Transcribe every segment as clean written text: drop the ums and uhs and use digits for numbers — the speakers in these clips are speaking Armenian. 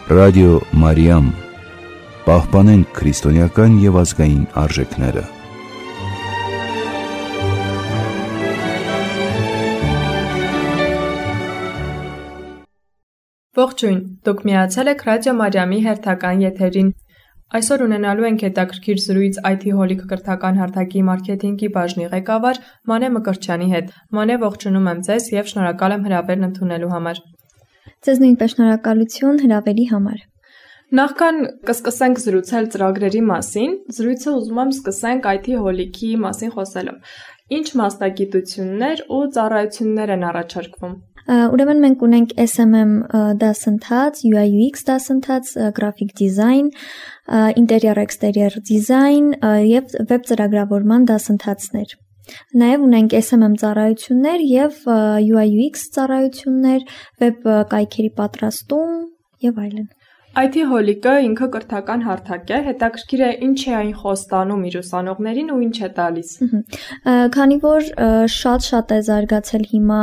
Ռադիո Մարիամ, պահպանենք քրիստոնեական և ազգային արժեքները։ Ողջույն, դուք միացել եք Ռադիո Մարիամի հերթական եթերին։ Այսօր ունենալու ենք հետաքրքիր զրույց IT հոլիկ կրթական հարթակի մարքեթինգի բաժնի ղեկավար Մանե Մկրտչյանի հետ։ Մանե, ողջունում եմ ձեզ և շնորհակալ եմ հրավերն ընդունելու համար։ Ձեզ նույնպես շնորհակալություն հրավերի համար։ Նախքան կսկսենք զրուցել ծրագրերի մասին, զրույցը ուզում եմ սկսենք IT հոլիկի մասին խոսելով։ Ինչ մասնագիտություններ ու ծառայություններ են առաջարկվում։ Ուրեմն մենք ունենք SMM դասընթաց, UI UX դասընթաց, graphic design, interior exterior design եւ web ծրագրավորման դասընթացներ։ Նաև ունենք SMM ծառայություններ եւ UI UX ծառայություններ, web կայքերի պատրաստում եւ այլն։ IT հոլիկը ինքը կրթական հարթակ է, հետաքրքիր է ինչ է այն խոստանում իր ուսանողներին ու ինչ է տալիս։ Քանի որ շատ է զարգացել հիմա,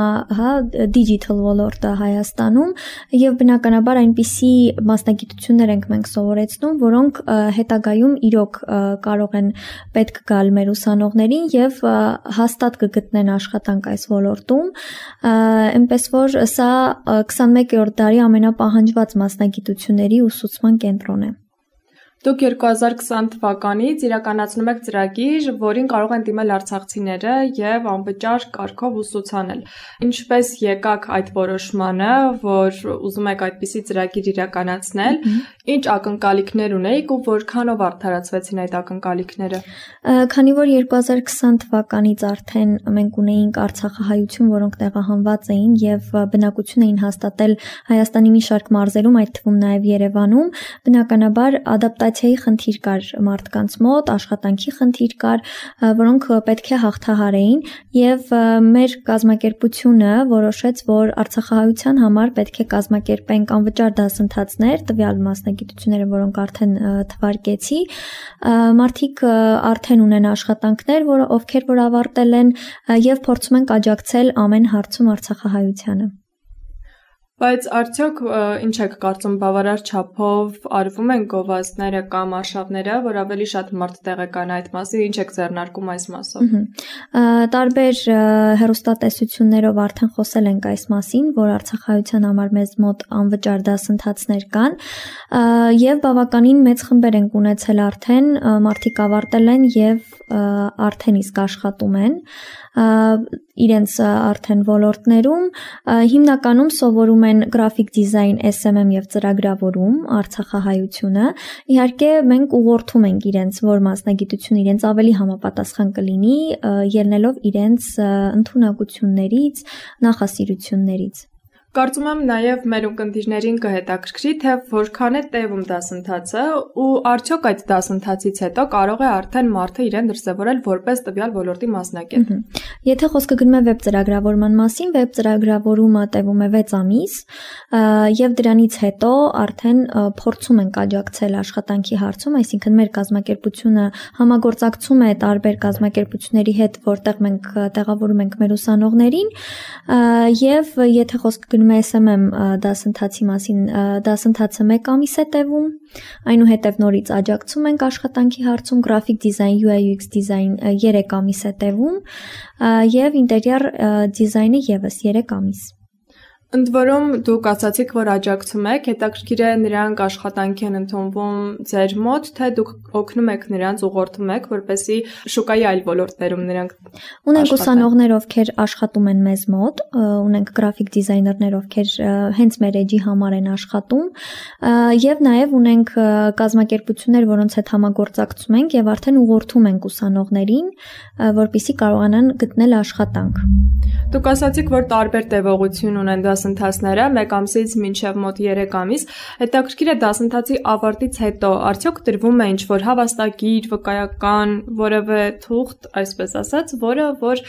digital ոլորտը Հայաստանում եւ բնականաբար այնպիսի մասնագիտություններ ենք մենք սովորեցնում, որոնք հետագայում իրոք կարող են պետք գալ մեր ուսանողներին եւ հաստատ կգտնեն աշխատանք այս ոլորտում, այնպես որ սա 21-րդ դարի ամենապահանջված մասնագիտությունների ուսուցման կենտրոն է։ Դուք 2020 թվականից իրականացնում եք ծրագիր, որին կարող են դիմել արցախցիները եւ անվճար կարգով ուսուցանել։ Ինչպես եկաք այդ որոշմանը, որ ուզում եք այդպիսի ծրագիր իրականացնել, ինչ ակնկալիքներ ունեիք ու որքանով արդարացվեցին այդ ակնկալիքները։ Քանի որ 2020 թվականից արդեն մենք ունեինք արցախահայություն, որոնք տեղահանված էին եւ բնակություն էին հաստատել Հայաստանի մի շարք մարզերում, այդ թվում նաեւ Երևանում, բնականաբար ադապտացիայի խնդիր կար մարդկանց մոտ, աշխատանքի խնդիր կար, որոնք պետք է հաղթահարեին եւ մեր կազմակերպությունը որոշեց, որ արցախահայության համար պետք է կազմակերպենք անվճար դասընթացներ, տվյալ մասնագիտությունները, որոնք արդեն թվարկեցի, մարդիկ արդեն ունեն աշխատանքներ, ովքեր որ ավարտել են եւ փորձում են աջակցել ամեն հարցում արցախահայությանը։ Բայց արդյոք ինչ եք կարծում, բավարար չափով արվում են գովազդները կամ արշավները, որ ավելի շատ մարդ տեղեկանա այդ մասին, ինչ եք ձեռնարկում այս մասով։ Տարբեր հեռուստատեսություններով արդեն խոսել ենք այս մասին, որ արցախահայության համար մեզ մոտ անվճար դասընթացներ կան եւ բավականին մեծ խմբեր ենք ունեցել արդեն, մարդիկ ավարտել են եւ արդեն իսկ աշխատում են իրենց արդեն ոլորտներում, հիմնականում սովորում են graphic design, SMM եւ ծրագրավորում արցախահայությունը։ Իհարկե մենք ուղղորդում ենք իրենց, որ մասնագիտություն իրենց ավելի համապատասխան կլինի, ելնելով իրենց ընդունակություններից, նախասիրություններից։ Կարծում եմ նաև մեր ունկնդիրներին կհետաքրքրի, թե որքան է տևում դասընթացը ու արդյոք այդ դասընթացից հետո կարող է արդեն մարդը իրեն դրսևորել որպես տվյալ ոլորտի մասնակից։ Եթե խոսքը գնում է վեբ ծրագրավորման մասին, վեբ ծրագրավորումը տևում է 6 ամիս եւ դրանից հետո արդեն փորձում ենք աջակցել աշխատանքի հարցում, այսինքն մեր կազմակերպությունը համագործակցում է տարբեր կազմակերպությունների հետ, որտեղ մենք տեղավորում ենք մեր ուսանողներին եւ եթե խոսքը SMM դասընթացի մասին, դասընթացը 1 ամիս է տևում, այնուհետև նորից աջակցում ենք աշխատանքի հարցում, graphic design, UI UX design 3 ամիս է տևում եւ interior design-ը եւս 3 ամիս։ Ընդ որում դուք ասացիք, որ աջակցում եք, հետաքրքիր է նրանք աշխատանքի են ընդունվում ձեր մոտ, թե դուք օգնում եք նրանց, ուղղորդում եք, որպեսզի շուկայի այլ ոլորտներում նրանք ունենք ուսանողներ, ովքեր աշխատում են մեզ մոտ, ունենք graphic designer-ներ, ովքեր հենց մեր էջի համար են աշխատում, եւ նաեւ ունենք կազմակերպություններ, որոնց հետ համագործակցում ենք եւ արդեն ուղղորդում ենք ուսանողներին, որպեսզի կարողանան գտնել աշխատանք։ Դուք ասացիք, որ տարբեր տևողություն ունեն դասընթացները 1 ամսից մինչև մոտ 3 ամիս, հետաքրքիր է դասընթացի ավարտից հետո արդյոք տրվում է ինչ-որ հավաստագիր, վկայական, որևէ թուղթ, այսպես ասած, որը որ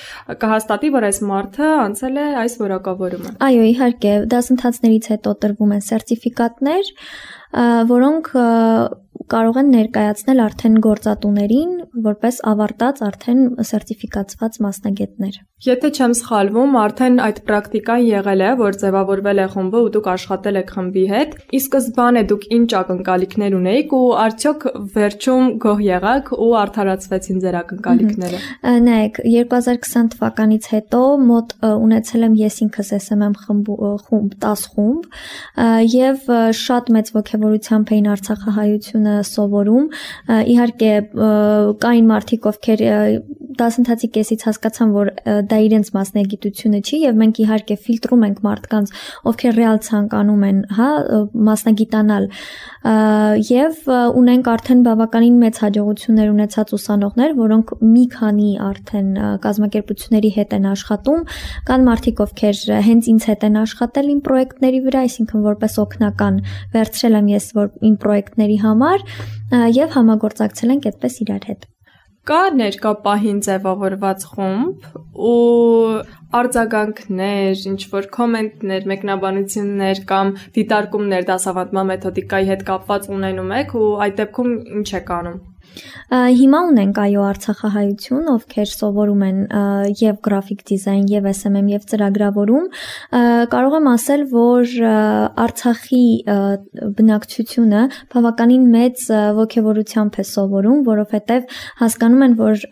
կհաստատի, որ այս մարդը անցել է այս որակավորումը։ Այո, իհարկե, դասընթացներից հետո տրվում են սերտիֆիկատներ, որոնք կարող են ներկայացնել արդեն գործատուներին որպես ավարտած արդեն սերտիֆիկացված մասնագետներ։ Եթե չեմ սխալվում, արդեն այդ պրակտիկան եղել է, որ ձևավորվել է խումբը ու դուք աշխատել եք խմբի հետ։ Ի սկզբանե դուք ինչ ակնկալիքներ ունեիք ու արդյոք վերջում գոհ եղաք ու արդարացվեցին ձեր ակնկալիքները։ Նայեք, 2020 թվականից հետո մոտ ունեցել եմ ես ինքս SMM խումբ 10 խումբ եւ շատ մեծ ոգևորությամբ էին արցախահայությունը սովորում։ Իհարկե կային մարդիկ, ովքեր դասընթացի կեսից հասկացան, որ դա իրենց մասնագիտությունը չի եւ մենք իհարկե ֆիլտրում ենք մարդկանց, ովքեր ռեալ ցանկանում են, մասնագիտանալ եւ ունենք արդեն բավականին մեծ հաջողություններ ունեցած ուսանողներ, որոնք մի քանի արդեն կազմակերպությունների հետ են աշխատում, կան մարդիկ, ովքեր հենց ինձ հետ են աշխատել իմ պրոյեկտների վրա, այսինքն որպես օգնական վերցրել եմ ես իմ պրոյեկտների համար եւ համագործակցել ենք այդպես իրար հետ։ Կա ներկա պահին ձևավորված խումբ ու արձագանքներ, ինչ-որ կոմենտներ, մեկնաբանություններ կամ դիտարկումներ դասավանդման մեթոդիկայի հետ կապված ունենում եք ու այդ դեպքում ինչ եք անում։ Հիմա ունենք այո արցախահայություն, ովքեր սովորում են եւ գրաֆիկ դիզայն, եւ SMM, եւ ծրագրավորում, կարող եմ ասել, որ Արցախի բնակչությունը բավականին մեծ ոգևորությամբ է սովորում, որովհետեւ հասկանում են, որ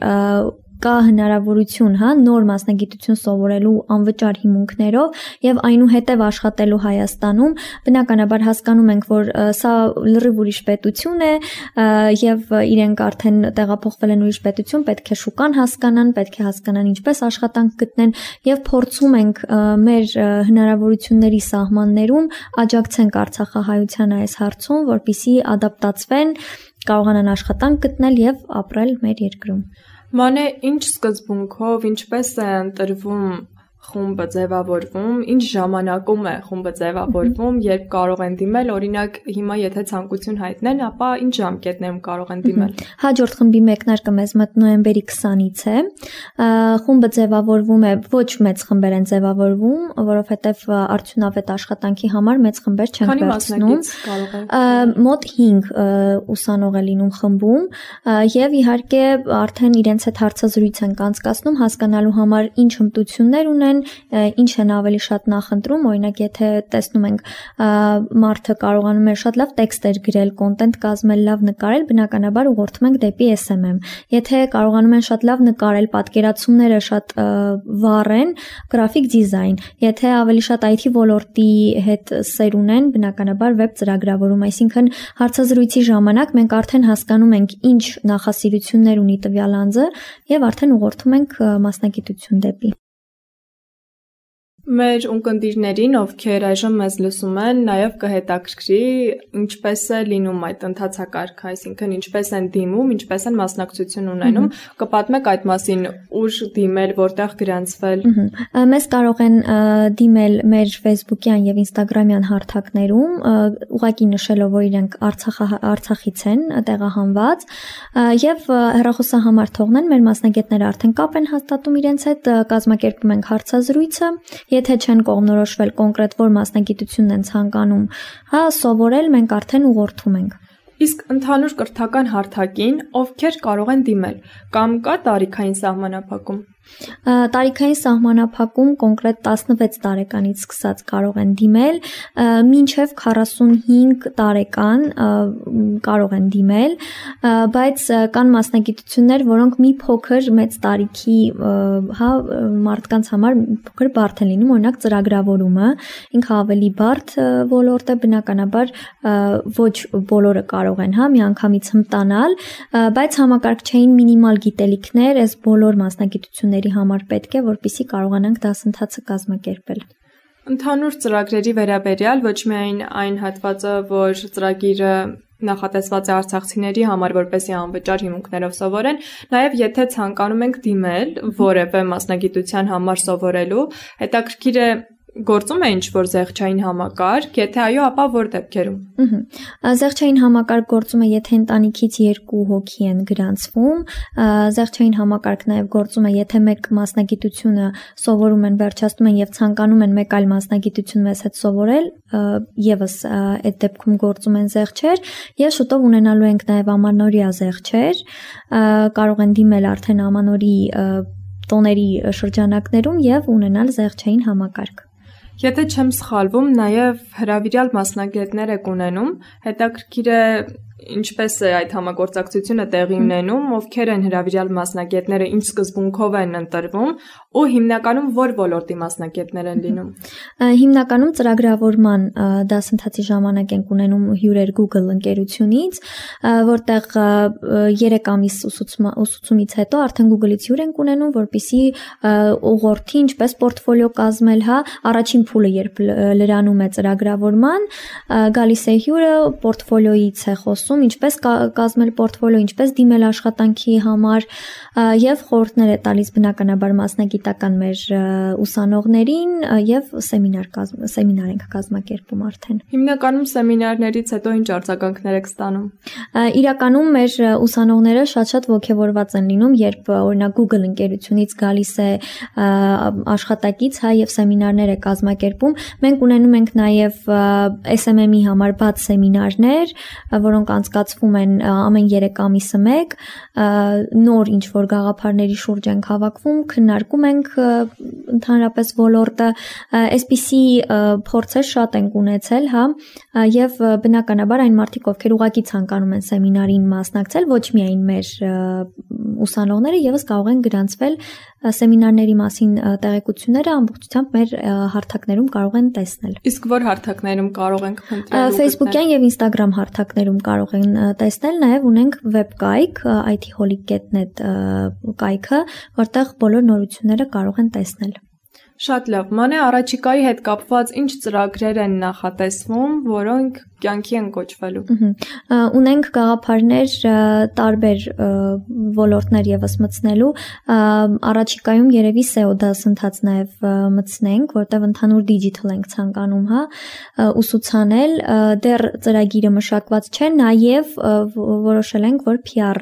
կա հնարավորություն, նոր մասնագիտություն սովորելու անվճար հիմունքներով եւ այնուհետեւ աշխատելու Հայաստանում, բնականաբար հասկանում ենք, որ սա լրիվ ուրիշ պետություն է եւ իրենք արդեն տեղափոխվել են ուրիշ պետություն, պետք է շուկան հասկանան, պետք է հասկանան ինչպես աշխատանք գտնեն եւ փորձում ենք մեր հնարավորությունների սահմաններում աջակցենք արցախահայության այս հարցում, որպեսզի ադապտացվեն, կարողանան աշխատանք գտնել եւ ապրել մեր երկրում։ Մանե, ինչ սկզբունքով, ինչպես է ընտրվում խումբը ձևավորվում, ինչ ժամանակում է խումբը ձևավորվում, երբ կարող են դիմել, օրինակ հիմա եթե ցանկություն հայտնեն, ապա ինչ ժամկետներում կարող են դիմել։ Հաջորդ խմբի մեկնարկը մեզ մոտ նոյեմբերի 20-ից է։ Խումբը ձևավորվում է, ոչ մեծ խմբեր են ձևավորվում, որովհետև արդյունավետ աշխատանքի համար մեծ խմբեր չեն վերցնում։ Մոտ 5 ուսանող է լինում խմբում եւ իհարկե արդեն իրենց հետ հարցազրույց են անցկացնում հասկանալու համար ինչ հմտություններ ունեն, ինչ են ավելի շատ նախընտրում, օրինակ եթե տեսնում ենք մարդը կարողանում է շատ լավ տեքստեր գրել, կոնտենտ կազմել, լավ նկարել, բնականաբար ուղղորդում ենք դեպի SMM։ Եթե կարողանում են շատ լավ նկարել, պատկերացումները շատ վառ են, գրաֆիկ դիզայն։ Եթե ավելի շատ IT ոլորտի հետ սեր ունեն, բնականաբար վեբ ծրագրավորում, այսինքն հարցազրույցի ժամանակ մենք արդեն հասկանում ենք ինչ նախասիրություններ ունի տվյալ անձը եւ արդեն ուղղորդում ենք մասնագիտություն դեպի։ Մեր ունկնդիրներին, ովքեր այժմ մեզ լսում են, նաև կհետաքրքրի ինչպես է լինում այդ ընթացակարգը, այսինքն ինչպես են դիմում, ինչպես են մասնակցություն ունենում, կպատմեք այդ մասին, ուր դիմել, որտեղ գրանցվել։ Մեզ կարող են դիմել մեր Facebook-յան եւ Instagram-յան հարթակներում, ուղղակի նշելով, որ իրենք Արցախից են տեղահանված, եւ հեռախոսահամար թողնեն, մեր մասնագետները արդեն կապ են հաստատում իրենց հետ, կազմակերպում ենք հարցազրույցը։ Եթե չեն կողմնորոշվել կոնկրետ որ մասնագիտությունն են ցանկանում, սովորել, մենք արդեն ուղղորդում ենք։ Իսկ ընդհանուր կրթական հարթակին ովքեր կարող են դիմել, կամ կա տարիքային սահմանափակում։ Տարիքային սահմանափակում կոնկրետ 16 տարեկանից սկսած կարող են դիմել, մինչև 45 տարեկան կարող են դիմել, բայց կան մասնագիտություններ, որոնք մի փոքր մեծ տարիքի մարդկանց համար փոքր բարդ են լինում, օրինակ ծրագրավորումը, ինքը ավելի բարդ ոլորտ է, բնականաբար ոչ բոլորը կարող են միանգամից հմտանալ, բայց համակարգչային մինիմալ գիտելիքներ այս բոլոր մասնագիտությունների համար պետք է, որպեսզի կարողանանք դասընթացը կազմակերպել։ Ընդհանուր ծրագրերի վերաբերյալ ոչ միայն այն հատվածը, որ ծրագիրը նախատեսված է արցախցիների համար, որպեսզի անվճար հիմունքներով սովորեն, նաև եթե ցանկանում ենք դիմել որևէ մասնագիտության համար սովորելու, հետաքրքիր է գործում է ինչ-որ զեղչային համակարգ, եթե այո, ապա որ դեպքերում։ Զեղչային համակարգ գործում է, եթե ընտանիքից 2 հոգի են գրանցվում, զեղչային համակարգ նաև գործում է, եթե մեկ մասնագիտությունը սովորում են, վերջացնում են եւ ցանկանում են մեկ այլ մասնագիտություն մեզ հետ սովորել, եւս այդ դեպքում գործում են զեղչեր, եւ շուտով ունենալու ենք նաև ամանորյա զեղչեր, կարող են դիմել արդեն ամանորի տոների շրջանակներում եւ ունենալ զեղչային համակարգ։ Եթե չեմ սխալվում, նաև հրավիրյալ մասնագետներ եք ունենում, հետաքրքիր է ինչպես է այդ համագործակցությունը տեղի ունենում, ովքեր են հրավիրյալ մասնագետները, ինչ սկզբունքով են ընտրվում ու հիմնականում որ ոլորտի մասնագետներ են լինում։ Հիմնականում ծրագրավորման դասընթացի ժամանակ ենք ունենում հյուրեր Google ընկերությունից, որտեղ 3 ամիս ուսուցումից հետո արդեն Google-ից հյուր ենք ունենում, որպեսզի ուղղորդի ինչպես պորտֆոլիո կազմել, առաջին փուլը երբ լրանում է ծրագրավորման, գալիս է հյուրը, պորտֆոլիոից է խոսում, ինչպես կազմել պորտֆոլիո, ինչպես դիմել աշխատանքի համար եւ խորհուրդներ է տալիս բնականաբար մասնագիտական մեր ուսանողներին եւ սեմինար ենք կազմակերպում արդեն։ Հիմնականում սեմինարներից հետո ինչ արձագանքներ եք ստանում։ Իրականում մեր ուսանողները շատ ոգևորված են լինում, երբ օրինակ Google ընկերությունից գալիս է աշխատակից, եւ սեմինարներ է կազմակերպում։ Մենք ունենում ենք նաեւ SMM-ի համար բաց սեմինարներ, որոնք անցկացվում են ամեն 3 ամիսը մեկ, նոր ինչ-որ գաղափարների շուրջ ենք հավաքվում, քննարկում ենք ընդհանրապես ոլորտը, այսպիսի փորձեր շատ ենք ունեցել, եւ բնականաբար այն մարդիկ, ովքեր ուղղակի ցանկանում են սեմինարին մասնակցել, ոչ միայն մեր ուսանողները, եւս կարող են գրանցվել սեմինարների մասին տեղեկությունները ամբողջությամբ մեր հարթակներում կարող են տեսնել։ Իսկ որ հարթակներում կարող ենք փնտրել։ Facebook-յան եւ Instagram հարթակներում կարող են տեսնել, նաեւ ունենք վեբկայք itholic.net կայքը, որտեղ բոլոր նորությունները կարող են տեսնել։ Շատ լավ, մանե առաջիկայի հետ կապված ինչ ծրագրեր են նախատեսվում, որոնք կյանքի են կոչվելու։ Ունենք գաղափարներ տարբեր ոլորտներ եւս մտցնելու, առաջիկայում երևի SEO դասընթաց նաեւ մտցնենք, որտեղ ընդհանուր digital ենք ցանկանում, ուսուցանել, դեռ ծրագիրը մշակված չէ, նաեւ որոշել ենք, որ PR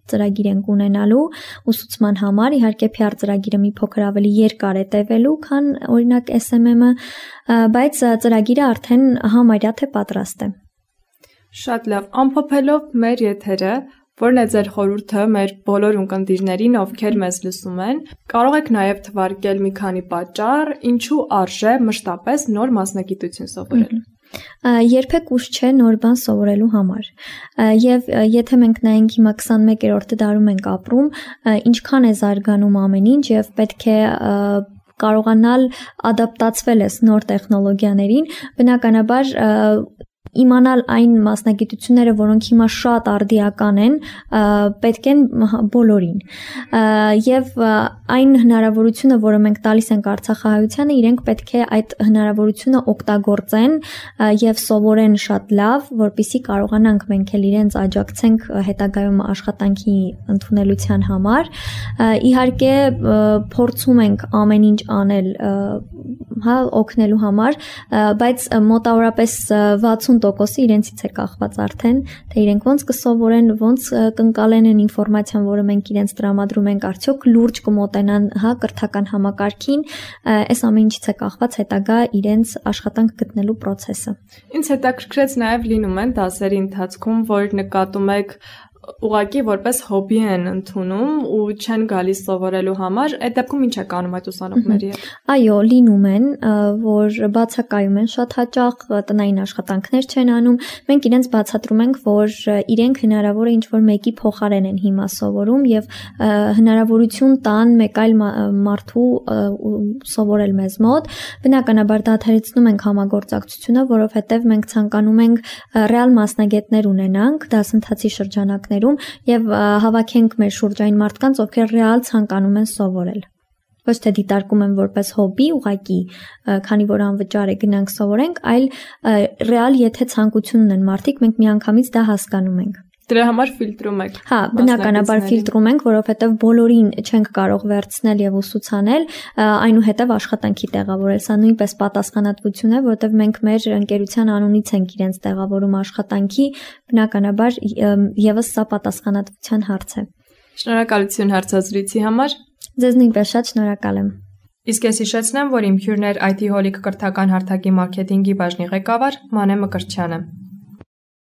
ծրագիր ենք ունենալու ուսուցման համար, իհարկե PR ծրագիրը մի փոքր ավելի երկար է տևելու, քան օրինակ SMM-ը, բայց ծրագիրը արդեն համարյա թե պատրաստ է։ Շատ լավ, ամփոփելով մեր եթերը, որն է ձեր խորհուրդը մեր բոլոր ունկնդիրներին, ովքեր մեզ լսում են, կարող եք նաև թվարկել մի քանի պատճառ, ինչու արժե մշտապես նոր մասնագիտություն սովորել։ Երբեք ուշ չէ նոր բան սովորելու համար, եւ եթե մենք նայենք հիմա 21-րդ դարում ենք ապրում, ինչքան է զարգանում ամեն ինչ եւ պետք է կարողանալ ադապտացվել ես նոր տեխնոլոգիաներին, բնականաբար իմանալ այն մասնագիտությունները, որոնք հիմա շատ արդիական են, պետք են բոլորին։ Եվ այն հնարավորությունը, որը մենք տալիս ենք Արցախահայությանը, իրենք պետք է այդ հնարավորությունը օգտագործեն եւ սովորեն շատ լավ, որպեսզի կարողանանք մենք էլ իրենց աջակցենք հետագայում աշխատանքի ընդունելության համար։ Իհարկե փորձում ենք ամեն ինչ անել, օգնելու համար, բայց մոտավորապես 60% իրենցից է կախված արդեն, թե իրենք ոնց կսովորեն, ոնց կընկալեն այն ինֆորմացիան, որը մենք իրենց տրամադրում ենք, արդյոք լուրջ կմոտենան կրթական համակարգին, այս ամեն ինչից է կախված հետագա իրենց աշխատանք գտնելու process-ը։ Ինձ հետաքրքրեց նաև լինում են դասերի ընթացքում, որ նկատում եք ուղղակի որպես հոբի են ընդունում ու չեն գալիս սովորելու համար, այդ դեպքում ինչ է կանում այդ ուսանողների հետ։ Այո, լինում են, որ բացակայում են շատ հաճախ, տնային աշխատանքներ չեն անում։ Մենք իրենց բացատրում ենք, որ իրենք հնարավոր է ինչ-որ մեկի փոխարեն են հիմա սովորում եւ հնարավորություն տան մեկ այլ մարդու սովորել մեզ մոտ։ Բնականաբար դադարեցնում ենք համագործակցությունը, որովհետեւ մենք ցանկանում ենք ռեալ մասնագետներ ունենանք դասընթացի շրջանակներում եւ հավաքենք մեր շուրջային մարդկանց, ովքեր ռեալ ցանկանում են սովորել։ Ոչ թե դիտարկում են որպես հոբի, ուղղակի, քանի որ անվճար է գնանք սովորենք, այլ ռեալ եթե ցանկություն ունեն մարդիկ, մենք միանգամից դա հասկանում ենք։ Դրա համար ֆիլտրում եք։ Հա, բնականաբար ֆիլտրում ենք, որովհետև բոլորին չենք կարող վերցնել եւ ուսուցանել, այնուհետև աշխատանքի տեղավորել։ Սա նույնպես պատասխանատվություն է, որովհետև մենք մեր ընկերության անունից ենք իրենց տեղավորում աշխատանքի, բնականաբար եւս սա պատասխանատվության հարց է։ Շնորհակալություն հարցազրույցի համար։ Ձեզ նույնպես շատ շնորհակալ եմ։ Իսկ ես հիշեցնեմ, որ իմ հյուրն էր IT Holic կրթական հարթակի մարքեթինգի բաժնի ղեկավար Մանե Մկրտչյանը։